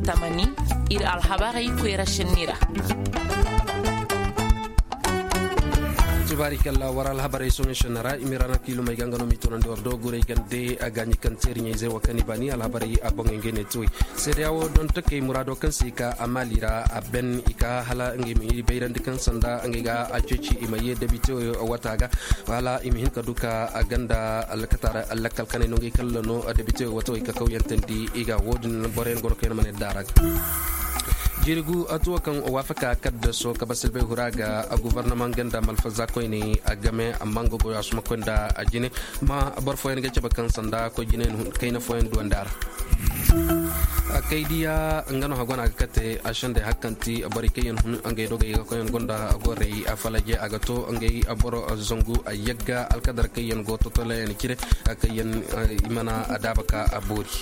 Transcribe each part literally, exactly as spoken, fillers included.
Tamani, ir alhabarey koyra šenni ra. Tubaari kalla war alhabarey soŋey šenni ra i ma ir ana kiilumey ga nga no m'i toonandi war do gurey gande a gaaɲi kaŋ teeri ɲayzey wo kaŋ i baani alhabarey a boŋey ngey ne tuwey. Seedeya wo donto kay muraado kaŋ se i ka a maali ra a ben i ka hala ngey ma i bayrandi kaŋ sanda ngey ga a ceeci i ma ye debite wata ga. Wala i ma hin ka du ka a ganda alkataara lakkal kanay no ngey kalla no debite wata wey ka kawyantandi i ga wo- din boroyaŋ go no kaŋ yaŋ mana yadda a ra ga. Jirgu a tuwo kaŋ waafaka kaddaso ka basilbay hura ga a guvarnamaŋ ganda malfaza koyne a game amma nga goyo a suma koy nda a jine. Ma boro fooyaŋ ga cabe kaŋ sanda koy jine kayna fooyaŋ duwandi a ra. Kay diya nga no hagona ga kate a sende hakkanti borey kaŋ yaŋ hun ngey dogey ga koy yaŋ gonda gorey a falaje a ga to ngey boro zangu a yagga alkadar kaŋ yaŋ go totolayaŋ cire. Kaŋ yaŋ i mana a daaba ka a boori.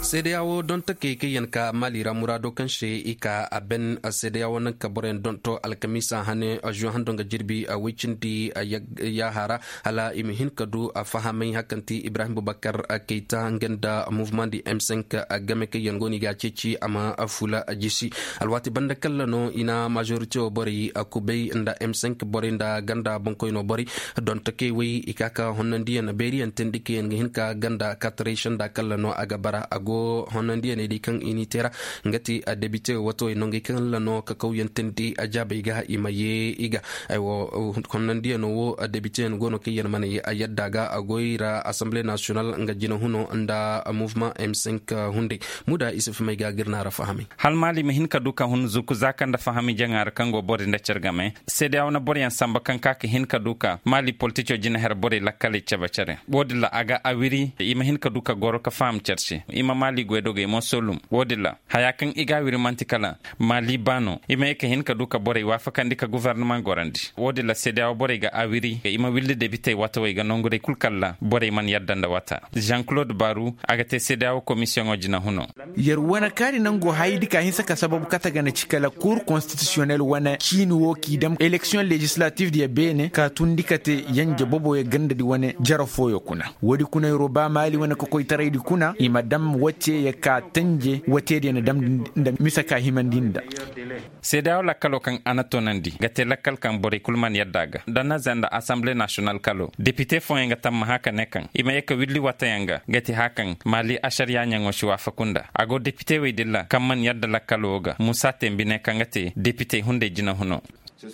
Seedeya wo donto kay kaŋ yaŋ ka maali ra muraado kaŋ se i ka a ben seedeya wo naŋ ka boroyaŋ donto alkamiisa hane. Zuwa hando nga jirbi a woy cindi yaaha ra hala i ma hin ka du a fahamay hakkanti ibrahim bubakar kayta nga nda mouvement di m cinq game kaŋ yaŋ go no i ga a ceeci a ma fula jisi. Alwaati banda kalla no i na majorite wo borey a kubay nda m cinq borey nda ganda boŋkoyno borey. Donto kay wey i ka ka honnandiyaŋ beeriyaŋ teendi kaŋ yaŋ ga hin ka ganda katarey senda kalla no a ga bara a go honnandiyaŋey di kaŋ i n'i te ra. Nga ti a debite watawey nongey kaŋ la no ka kawyaŋ teendi a jaabey ga i ma ye i ga. Aywa, honnandiyaŋo wo debiteyaŋ go no kaŋ yaŋ mana ye a yadda ga a goy ra asamble nasiyonal nga jinahuno nda mouvement m cinq. Hunday muda isuf may ga gir na ra fahamay. Hala maali ma hin ka du ka hun zuku za kaŋ nda fahami jaŋa ra kaŋ go boro nda care game seedeya wane boroyaŋ samba kaŋ ka ka hin ka du ka maali politico jina her borey lakkaley cabe care wo- din ra a ga a wiri i ma hin ka du ka goro ka faham care se i ma maali goydogey mo solum wo- din ra haya kaŋ i ga a wiri manti kala maali ba no i ma ye ka hin ka du ka borey waafakandi ka guvarnama gorandi wo- din ra seedeya wo borey ga a wiri i ma willi debitey watawey ga nonguray kul kalla borey mana yadda nda wata. Jean claude baru a ga te seedeya wo komisiyoŋo jinahuno. Yer wane kaari nango hayadi ka hinsa ka sababu kate ga na ci kala kur konstitisiyonel wane ciini wo k'i dam eleksiyoŋ lejislatif diya beene ka tundi kate yanje boboyo gandadi wane jara fooyo kuna. Woodi kuna yer wo ba maali wane kokoytaraydi kuna i ma dam wote ya ka tanje wote diya na damndi nda mise ka himandi nda. Seedeya wo lakkalo kaŋ a na toonandi ga te lakkal kaŋ borey kul mana yadda a ga nda naza nda asamble nasiyonal kalo depite fooyaŋ ga tammaha ka ne kaŋ i ma ye ka willi watayaŋ ga ga te haya kaŋ maali asariya ɲaŋo si waafaku nda a go depite wey din ra kaŋ mana yadda lakkalo wo ga musa tembi ne kaŋ ga te depite hunday jinahuno.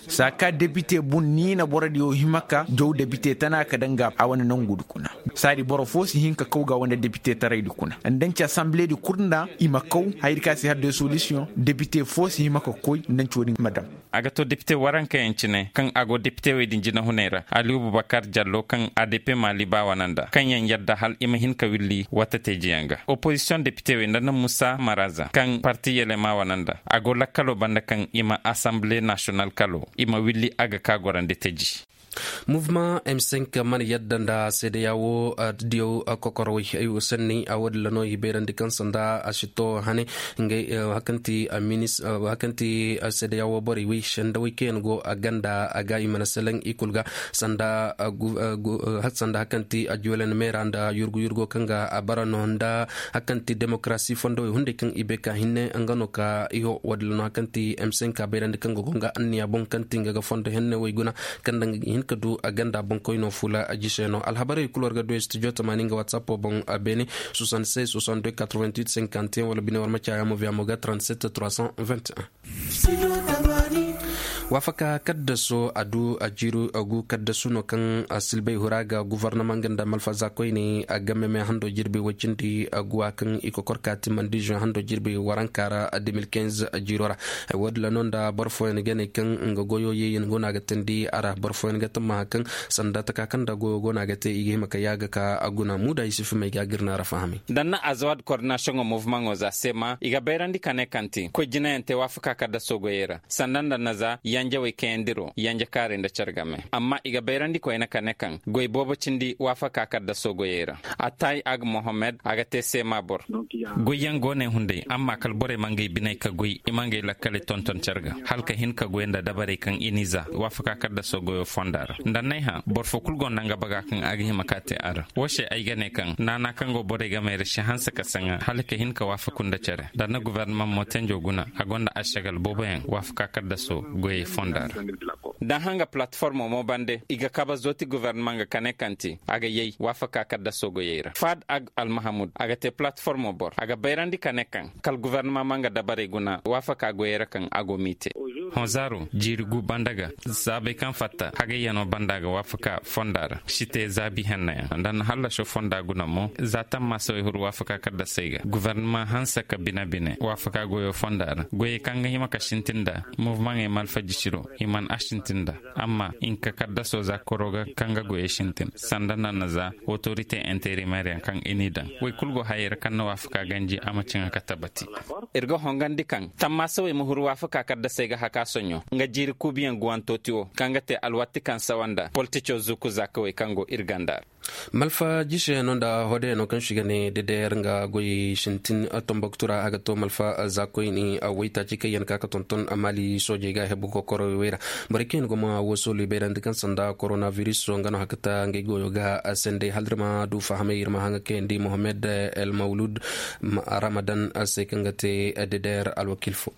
Saa ka depite bun ni na borodiyo hima ka jaw depite tana ka daŋ ga a wane nongudi kuna. Saadi boro fo si hin ka kaw ga a wane depite taraydi kuna nda nci asambiledi kul nda i ma kaw hayadi ka si har de solisiyoŋ depite fo si hima ka koy nda nci wo- din ma daŋ. A ga to depite warankayaŋ cine kaŋ a go depite wey din jinahuney ra aliyu bubakar jallo kaŋ a depe maali ba wane nda kaŋ yaŋ yadda hala i ma hin ka willi wata teejiyaŋ ga opozisiyoŋ depite wey nda na musa maraza kaŋ parti yelema wane nda a go lakkalo banda kaŋ i ma asambile nasiyonal kalo i ma willi a ga ka gorandi teji. Muvma m cinq mana yadda nda seedeya wo diyaw kokorowey ay wo sanni a wo- din ra no i bayrandi kaŋ sanda a si to hane. Ngey hakanti minis hakanti seedeya wo borey wey sanda wey kaŋ yaŋ go a ganda a ga i mana selaŋ i kul ga sanda hakanti a juwelen meera nda yurgu yurgo kaŋ ga a bara no nda hakanti demokarasi fondowey hunday kaŋ i bay ka hinne nga no ka iho wo- din ra no hakanti m cinq a bayrandi kaŋ ga go nga anniya boŋ kaŋ ti nga ga fondo henne wey guna kaŋ daŋ ga hin ka du a ganda boŋkoyno fula a jiseno alhabarey kul war ga du studio tamaani nga whatsapp boŋ a beene soixante-seize soixante-deux quatre-vingt-huit cinquante et un wala bine war ma caya mo via mo ga trente-sept trois cent vingt et un. Waafaka kaddaso a du a jiru a gu kaddasu no kaŋ a silbay hura ga guvarnama nga nda malfaza koyne a game me hando jirbi wacindi a guwa kaŋ i kokor ka timandi juin hando jirbi waranka ra deux mille quinze jiro ra. Ay wo- din ra no nda boro fooyaŋ ga ne kaŋ nga goyo yeeyaŋ go no a ga teendi a ra boro fooyaŋ ga tammaha kaŋ sanda taka kaŋ nda goyo go no a ga te i ga hima ka yaaga ka a guna muuda i si fimay ga a ga ir na a ra fahamay. Danna azawad koordinasiyoŋo movumaŋo za seema i ga bayrandi ka ne kaŋ te koy jinayaŋ te waafaka kaddaso goyey ra sanda nda na za. Yanjawey kayandiro yanja kaaray nda care game amma i ga bayrandi koyne ka ne kaŋ goy boobo cindi waafaka kaddaso goyey ra. Atay ag mohammed a ga te seema boro. Goyyaŋ go no ay hunday amma kala borey ma ngey biney ka goy i ma ngey lakkaley tonton care ga hala ka hin ka goy nda dabarey kaŋ i n'i za waafaka kaddaso goyo fonda ra nda n'ay hã boro fo kulu gonda nga baga kaŋ a ga hima ka te a ra. Wo se ay ga ne kaŋ naana kaŋ go borey gamey ra si hanse ka saŋa hala ka hin ka waafaku nda care nda na gobornamaŋ mootenjo guna a gonda ašagal booboyaŋ waafaka kaddaso goyey fonda ra. Da hanga palatiformo mo bande i ga kabe zooti gobornamaŋ ga kane kaŋ te a ga yay waafaka kaddaso goyey ra faad ag almahamud a ga te palatiformo boro a ga bayrandi kane kaŋ kala gobornamaŋ ma nga dabarey guna waafaka goyey ra kaŋ a go m'i te. Hõ zaaro jiiri gu banda ga zaabey kaŋ fatta hagayyano banda ga waafaka fonda ra si te zaabi hennayaŋ nda na hallaso fonda guna mo za tammaasawey huru waafaka kaddasey ga gobornamaŋ hanse ka bine-bine waafaka goyo fonda ra goyey kaŋ ga hima ka sintin nda mobumaŋey malfajisiro i mana a sintin nda amma hinka kaddaso za koro ga kaŋ ga goyey sintin sanda nda na za otorite interimeeryaŋ kaŋ i n'i daŋ. Woy kulu go hayey ra kaŋ na waafaka ganji a ma ciŋa ka tabati. Ir ga hongandi kaŋ tammaasawey ma huru waafaka kaddasey ga haka soɲo nga jiiri kuubiyaŋ guwantooti wo kaŋ ga te alwatti kaŋ sawa nda politicoo zuuku zaakawey kaŋ go ir ganda ra. Malfa jiseyano nda hodeyano kaŋ si ga ne dedeer nga goy sintin tomboktu ra a ga to malfa zaakoyni waytaaci kaŋ yaŋ ka ga tonton maali soojey ga hebu kokoroy wey ra. Borey kaŋ yaŋ go ma woo soolu i bayrandi kaŋ sanda koronaviris nga no hakata ngey goyo ga sendey hala ir ma du fahamay ir ma haŋa kayandi mohammed el mawlud ramadan se kaŋ ga te dedeer alwakiil fo.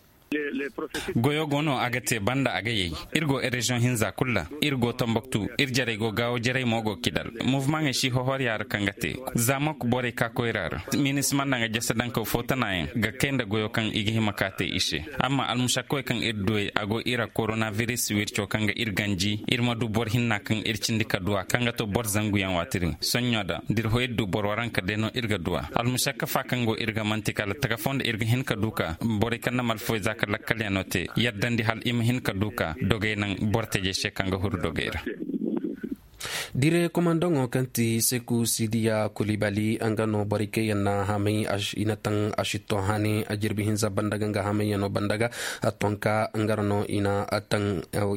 Goyo go no a ga te banda a ga yay. Ir go reziyoŋ hinza kulu ra. Ir go tomboktu ir jarey go gaawo jarey mo go kidal. Muvumaŋey si hohorya ra kaŋ ga te zaamok borey ka koyra ra. Minisima nda nga jese dankaw fo tanaayaŋ ga kay nda goyo kaŋ i ga hima ka te i se. Amma almusakkawey kaŋ ir duwey a go ir ra koronaviris wirco kaŋ ga ir ganji ir ma du boro hinna kaŋ ir cindi ka duw'a kaŋ ga to boro zanguyaŋ waati din soɲɲo da da ir ho ir du boro waranka day no ir ga duw'a. Almusakka fa kaŋ go ir ga manti kala taga foo nda ir ga hin ka du ka borey kaŋ na malfawey za ka lakkalyaŋo te yaddandi hala i ma hin ka du ka dogey naŋ boro tajey se kaŋ ga huru dogey ra. Dire komandaŋo kaŋ ti seku sidiya kulibali nga no borey kaŋ yaŋ na haamay i na taŋ a si to haani a jirbi hinza banda ga nga haamayyano banda ga. Tonka nga ra no i na taŋ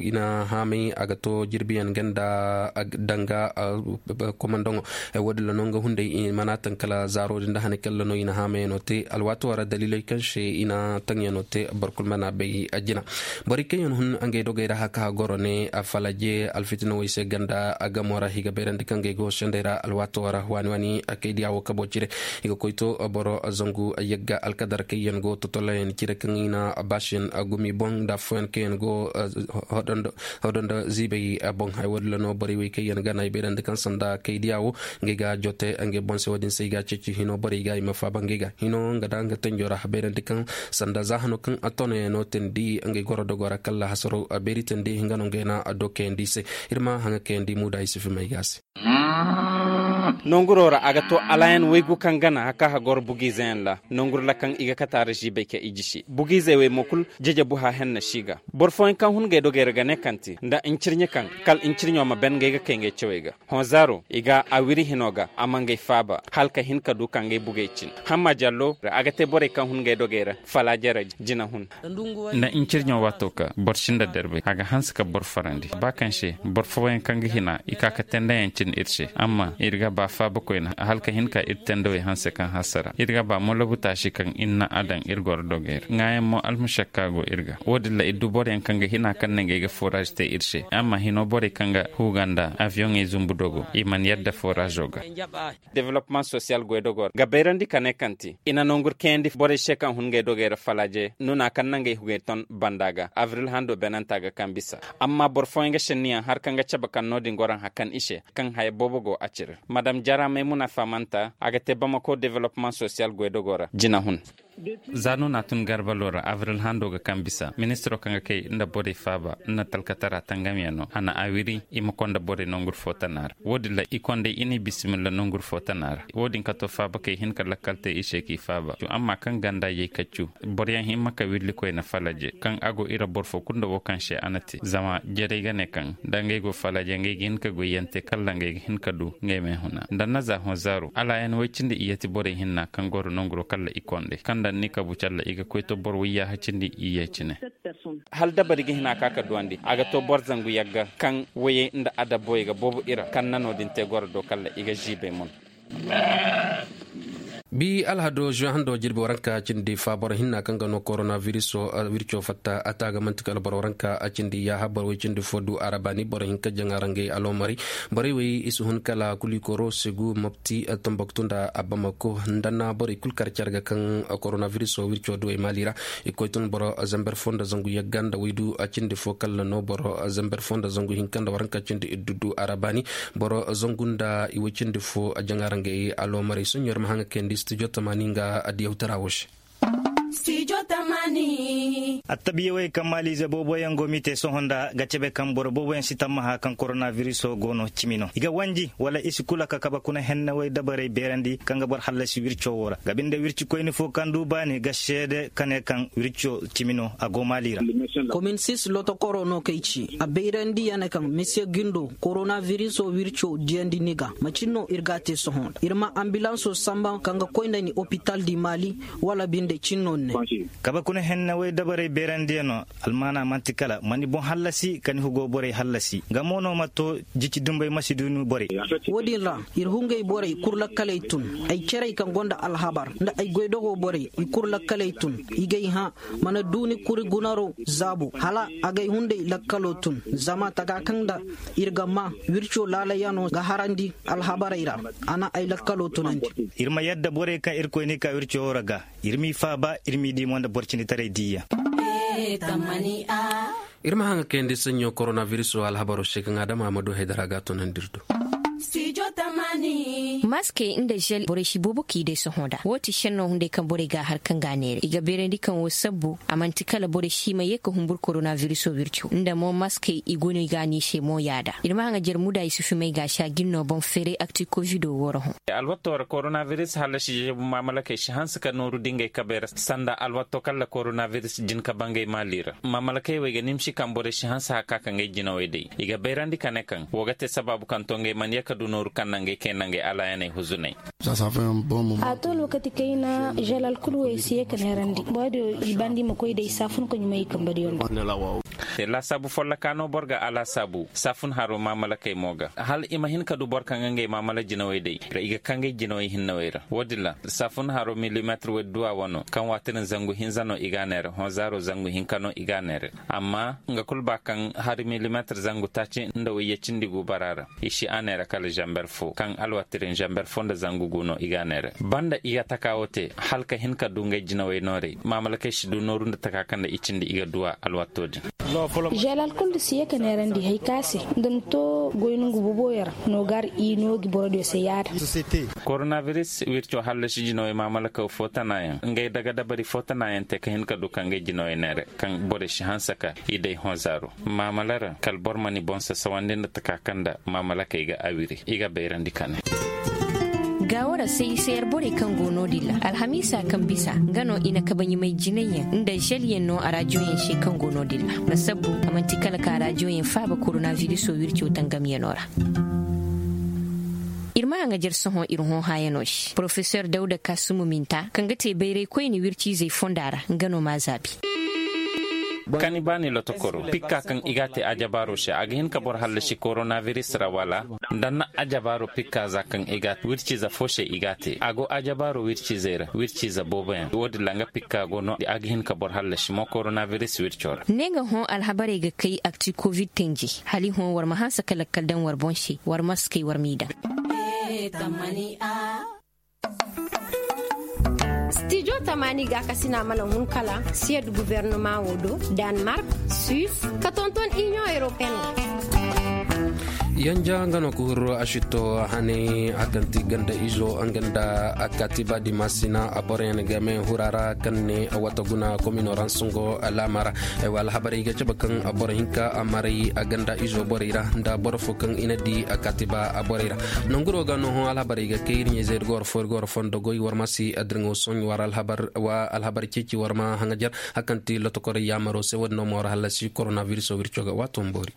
i na haamay a ga to jirbiyaŋ ganda danga. Komandaŋo wo- din ra no nga hunday i mana taŋ kala zaaro din da hane kaŋ ra no i na haamayyano te alwaato ra daliiley kaŋ se i na taŋyaŋo te boro kulu mana bay a jina. Borey kaŋ yaŋ hun ngey dogey ra haka goro ne a falaje alfitinawey se ganda a gamo ra i ga bayrandi kaŋ ngey go sendey ra alwaato ra waani waani a kay diya wo kabo cire. I ga koy to boro zangu yagga alkadar kaŋ yaŋ go totolayaŋ cire kaŋ i na baasiyaŋ gumi boŋ nda afooyaŋ kaŋ yaŋ go hodo nda ziibay boŋ haya wo- din ra no borey wey kaŋ yaŋ gana i bayrandi kaŋ sanda kay diya wo ngey ga jote ngey boŋ se wo- din se i ga ceeci hino borey ga i ma faaba ngey ga hino nga da nga tanjo ra bayrandi kaŋ sanda za hano kaŋ a tonayaŋo teendi ngey goro dogo ra kala hasaro beeri teendi nga no ngey na a do kayandi i se. Ir ma haŋa kayandi muuda i si fimay ga a se. Nonguro ra a ga to alaayan waygu kaŋ gana haka hagoro bugiizeyaŋ ra nongur ra kaŋ i ga kate a ra ziibay ka i jisi bugiizey wey mo kul jejebu ha henna si ga. Boro fooyaŋ kaŋ hun ngey dogey ra ga ne kaŋ te nda ncirɲe kaŋ kala ncirɲo ma ben ngey ga kay ngey cawey ga. Hõ zaaro i ga a wiri hino ga a ma ngey faaba hala ka hin ka du ka ngey bugey cin. Hamma jallo ra a ga te borey kaŋ hun ngey dogey ra falaaje ra jina hun. Nda ncirɲo waato ka boro sinda derbay a ga hanse ka boro farandi ba kaŋ se boro fooyaŋ kaŋ ga hina i ka ka tendeyaŋ cin ir se amma ir ga ba faabakoyna hala ka hin ka ir tendawey hanse kaŋ hasara ir ga ba molobu taasi kaŋ ir na a daŋ ir goro dogey ra ŋaayaŋ mo almušakka go ir ga wo- din ra ir du boroyaŋ kaŋ ga hina kaŋ ne ngey ga foraaz te ir se amma hino borey kaŋ ga huuga nda aviyoŋey zumbu dogo i mana yadda foraazo ga. Developmaŋ sosiyal goydogoo ra ga bayrandi ka ne kaŋ te i na nongur kayandi borey se kaŋ hun ngey dogey ra falaaje nuna kaŋ na ngey hugey ton banda ga abril hando beenanta ga kaŋ bisa. Amma boro fooyaŋ ga šenniyaŋ har kaŋ ga cabe kaŋ no-din goro nhakan i se kaŋ haya boobo go a cire madam jara maymuna fahamanta a ga te bamako developmaŋ sosiyal goydogoo ra jina hun. Za no na tun garbalo ra abril hando ga kaŋ bisa ministiro kaŋ ga kay nda borey faaba nda talkatara tangamyaŋo a na a wiri i ma konda borey nongur fo tana ra wo- din ra i kondey i n'i bisimilla nongur fo tana ra wo- din ka to faaba kay hin ka lakkal te i se k'i faaba amma kaŋ ganda yay kaccu boroyaŋ himma ka willikoyna falaje kaŋ a go i ra boro fo kulu nda wo kaŋ se a na te zama jerey ga ne kaŋ da ngey go falaje ngey ga hin ka goyyaŋ te kala ngey ga hin ka du ngey ma ay huna nda na za hõ zaaro alaayan woy cindi iyyati borey hinna kaŋ goro nonguro kala i kondey kaŋ Ni kabu calla i ga koy to boro wayya hacindi i ye cine. Hala dabari ga hina ka ka duwandi a ga to boro zangu yagga kaŋ wayey nda adabboyey ga boobo i ra kaŋ na no-din te goro do kalla i ga ziibay mun. Bi alhado zuwe hando jirbi waranka cindi fa boro hinna kaŋ ga no korona viriso wirco fatta a ta ga manti kala boro waranka a cindi yaaha boro way cindi fo du a ra baani boro hinka jaŋa ra ngey aloomari. Borey wey i si hun kala kulikoro segu mopti tambaktu nda abamako nda na borey kulu kar care ga kaŋ korona viriso wirco duwey maali ra. I koy tun boro zamber fo nda zangu yagga nda waydu a cindi fo kala no boro zamber fo nda zangu hinka nda waranka cindi iddu du a ra baani. Boro zangu nda i way cindi fo a jaŋa ra ngey aloomarey soɲo ir ma haŋa kayandi studio tamaani nga adiyawtara wo se. Attabiya wey kaŋ maaliize booboyaŋ go m'i te sohõ nda ga cebe kaŋ boro booboyaŋ si tammaha kaŋ korona viriso go no cimi no i ga wanji wala i si kula ka kabe kuna henne wey dabarey beerandi kaŋ ga boro hallasi wirco wo ra ga binde wircikoyni fo kaŋ du baani ga seede ka ne kaŋ wirco cimi no a go maali ra. Komin sis lotokoro no kay ci a bayrandi ya ne kaŋ misiye gindo korona viriso wirco diyandi ni ga macin no ir ga a te sohõ nda ir ma ambilanso samba kaŋ ga koy nda ni opital di maali. Wala binde cin no ni ne. Kabe kuna henne wey dabarey beerandi ya no. Almaana man'ti kala ma ni boŋ hallasi ka ni hugo borey hallasi nga mo no ma to. Jici dumbey ma si du ni borey. Wo-din ra ir hungey borey kulu lakkaley tun ay cerey kaŋ gonda alhabar nda ay goydogo borey i kulu lakkaley tun. I gay hã mana du ni kuri gunaro zaabu hala agay hunday lakkalo tun zama taga kaŋ nda ir ga maa wirco laalayano ga harandi alhabarey ra. A na ay lakkalo tunandi. Ir ma yadda borey kaŋ irkoy n'i ka wirco wo ra ga ir m'i faaba ir m'i di mo nda boro cinitaray diiyaŋ. Ir ma haŋa kayandi saɲɲo korona viriso alhabaro se kaŋ adama ma du haydara ga a tunandi ir do. Maskey nda žel borey si boobo k'i day sohõ nda woo ti šennoo hunday kaŋ borey g'a har kaŋ g'a neera i ga beerandi kaŋ woo sabbu a man'ti kala borey si ma yee ka humbur korona viriso wirco nda mo maskey i go no i g'a n'i se mo yaada ir ma haŋa jer muda i si fimay g'a si a jin no boŋ feeray akti kovido woo ra hõ. Alwattoo ra korona viris hallasi žežebu maamalakey si hanse ka nooru dingey kabey ra sanda alwattoo kalla korona viris jin ka bangey maali ra maamalakey wey ga nimsi kaŋ borey si hanse haka ka ngey jinawey day i ga bayrandi ka ne kaŋ woo ga te sabaabu kaŋ to ngey mana yee ka du nooru kaŋ na ngey kay na ngey alaayaney huzunay. A to lookati kayna želal kul wey si yee ka neerandi boro diyo i bandi ma koy day saafun ka ɲumay i kambadiyo nda. Laasaabu folloka no boro ga a laasaabu saafun haro maamalakey mo ga hala i ma hin ka du boro kaŋ ga ngey maamala jinawey day i ga kangay jinawey hinnawey ra wo-din ra saafun haro milimeetir wey duwa wano kaŋ waati din zangu hinza no i g'a neera hõ zaaro zangu hinka no i g'a neera. Amma nga kul ba kaŋ hari milimeetir zangu taaci nda wayye cindi gu bara ra i si a neera kala zamber fo kaŋ alwatirin zamber fo nda zangu gu no i g'a neera banda i ga taka wo te hala ka hin ka du ngey jinawey nooray maamalakey si du nooru nda taka kaŋ nda i cindi i ga duwa alwato din. Želal kul da si ye ka neerandi hari ka se nda ni to goy nongu booboyaŋ ra no gar i no gi borodiyo se yaada. Koronaviris wirco hallasi jinawey maamalakaw fo tanayaŋ ngey daga dabari fo tanayaŋ te ka hin ka du ka ngey jinawey neera kaŋ borey si hanse ka i day hõ zaaro maamala ra kala boro ma ni boŋ sasawandi nda taka kaŋ nda maamalakey ga a wiri i ga bayrandi ka ne. Gaawo ra se i se yar borey kaŋ go no-din ra alhamiisa kaŋ bisa nga no i na kabaɲumay jinayyaŋ nda želyaŋ no arajoyaŋ se kaŋ go no-din ra nga sabbu a man'ti kala ka arajoyaŋ faaba koronaviriso wirco tangamyano ra. Ir ma haŋajer sohõ ir hõ haayano se porofesor dawda kasumu minta kaŋ ga te bayray koyne wirciizey fonda ra nga no m'a zaabi. Kani baani lotokoro pikka kaŋ i g'a te ajabaaro se a ga hin ka boro hallasi koronaviris ra wala? Nda na ajabaaro pikka za kaŋ i g'a te wirciize fo se i g'a te a go ajabaaro wirciizey ra wirciize booboyaŋ wo-din ra nga pikka go no a ga hin ka boro hallasi mo koronaviris wirco ra. Ne nga hõ alhabarey ga kay akti kovid tenje hala i hõ war ma hanse ka lakkal daŋ war boŋ se war ma si kay war m'i daŋ. Stijo tamaani gaakasina mana hun kala siyad gubernama wo do, danmark, suis, ka tonton inion europeen. Yanja nga no ka huru a si to hanay a kaŋ ti ganda izo nga nda a kaatiba dimasina a boroyaŋ game hura ra kaŋ ne a wata guna komino ra nsungo laama ra. Ay wa alhabarey ga cabe kaŋ boro hinka a maray a ganda izo borey ra nda boro fo kaŋ i na di a kaatiba a borey ra. Nanguro ga no hõ alhabarey ga kay ir ɲayzey ir ga war fo ir ga war fondo goy war ma si addirŋo soɲ war alhabar ceeci war ma haŋajer. Hakanti lotokorey yaamaro se wo-din no ma war hallasi koronaviriso wirco ga waato ma boori.